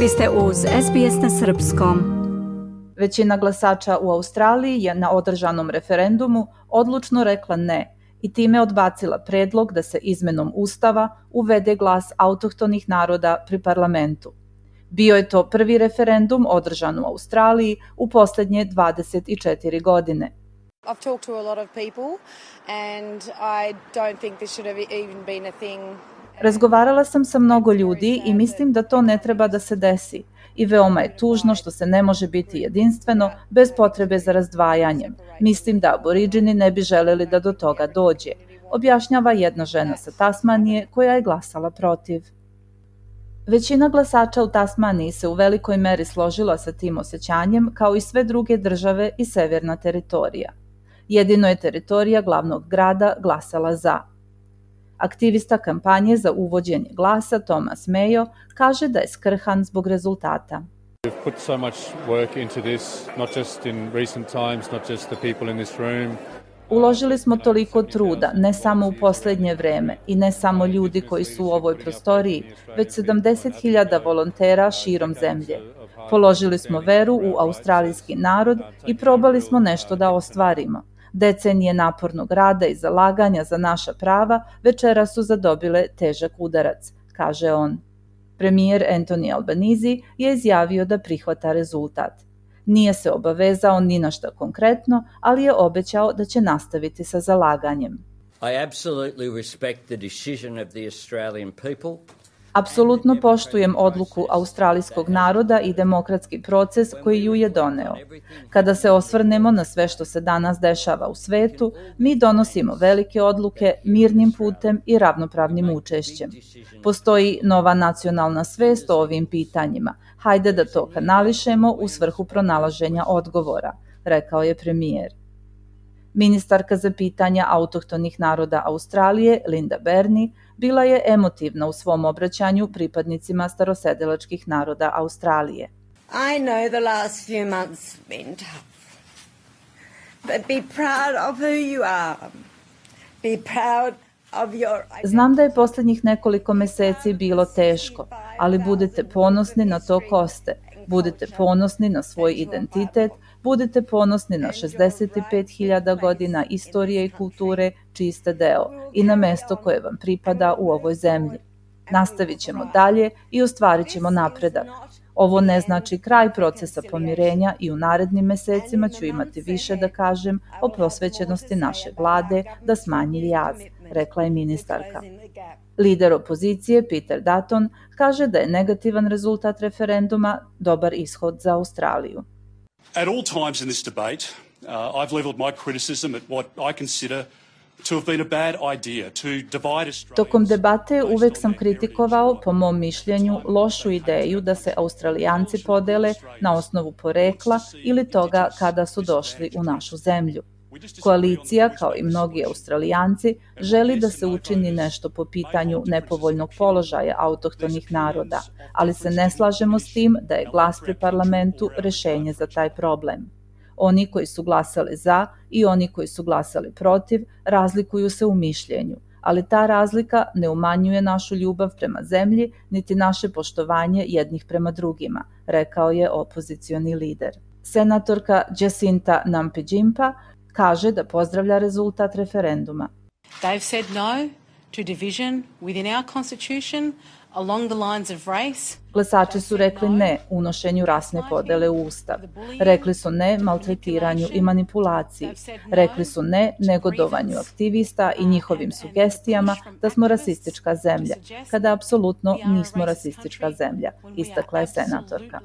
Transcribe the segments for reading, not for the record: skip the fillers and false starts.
Vi ste uz SBS na srpskom. Većina glasača u Australiji je na održanom referendumu odlučno rekla ne i time odbacila predlog da se izmenom Ustava uvede glas autohtonih naroda pri parlamentu. Bio je to prvi referendum održan u Australiji u posljednje 24 godine. I've talked to a lot of people and I don't think this should have even been a thing. Razgovarala sam sa mnogo ljudi i mislim da to ne treba da se desi. I veoma je tužno što se ne može biti jedinstveno bez potrebe za razdvajanjem. Mislim da aboriđini ne bi želeli da do toga dođe, objašnjava jedna žena sa Tasmanije koja je glasala protiv. Većina glasača u Tasmaniji se u velikoj meri složila sa tim osjećanjem, kao i sve druge države i severna teritorija. Jedino je teritorija glavnog grada glasala za. Aktivista kampanje za uvođenje glasa Thomas Mayo kaže da je skrhan zbog rezultata. We've put so much work into this, not just in recent times, not just the people in this room. Uložili smo toliko truda, ne samo u posljednje vreme i ne samo ljudi koji su u ovoj prostoriji, već 70.000 volontera širom zemlje. Položili smo veru u australijski narod i probali smo nešto da ostvarimo. Decenije napornog rada i zalaganja za naša prava večeras su zadobile težak udarac, kaže on. Premijer Anthony Albanese je izjavio da prihvata rezultat. Nije se obavezao ni na šta konkretno, ali je obećao da će nastaviti sa zalaganjem. I absolutely respect the decision of the Australian people. Apsolutno poštujem odluku australijskog naroda i demokratski proces koji ju je doneo. Kada se osvrnemo na sve što se danas dešava u svetu, mi donosimo velike odluke mirnim putem i ravnopravnim učešćem. Postoji nova nacionalna svest o ovim pitanjima. Hajde da to kanališemo u svrhu pronalaženja odgovora, rekao je premijer. Ministarka za pitanja autohtonih naroda Australije, Linda Burney, bila je emotivna u svom obraćanju pripadnicima starosedilačkih naroda Australije. I know the last few months have been tough, but be proud of who you are. Be proud of your... Znam da je posljednjih nekoliko meseci bilo teško, ali budite ponosni na to ko ste. Budite ponosni na svoj identitet, budite ponosni na 65.000 godina istorije i kulture čiji ste deo i na mesto koje vam pripada u ovoj zemlji. Nastavit ćemo dalje i ostvarit ćemo napredak. Ovo ne znači kraj procesa pomirenja i u narednim mesecima ću imati više da kažem o prosvećenosti naše vlade da smanji jaz, rekla je ministarka. Lider opozicije Peter Dutton kaže da je negativan rezultat referenduma dobar ishod za Australiju. At all times in this debate, I've leveled my criticism at what I consider to have been a bad idea, to divide Australia. Tokom debate uvek sam kritikovao, po mom mišljenju, lošu ideju da se Australijanci podele na osnovu porekla ili toga kada su došli u našu zemlju. Koalicija, kao i mnogi Australijanci, želi da se učini nešto po pitanju nepovoljnog položaja autohtonih naroda, ali se ne slažemo s tim da je glas pri parlamentu rešenje za taj problem. Oni koji su glasali za i oni koji su glasali protiv razlikuju se u mišljenju, ali ta razlika ne umanjuje našu ljubav prema zemlji niti naše poštovanje jednih prema drugima, rekao je opozicioni lider. Senatorka Jacinta Nampijinpa kaže da pozdravlja rezultat referenduma. They've said no to division within our constitution along the lines of race. Glasači su rekli ne unošenju rasne podele u Ustav. Rekli su ne maltretiranju i manipulaciji. Rekli su ne negodovanju aktivista i njihovim sugestijama da smo rasistička zemlja, kada apsolutno nismo rasistička zemlja, istakla je senatorka.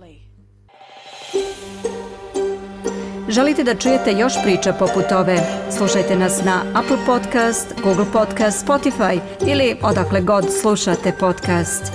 Želite da čujete još priča poput ove? Slušajte nas na Apple Podcast, Google Podcast, Spotify ili odakle god slušate podcast.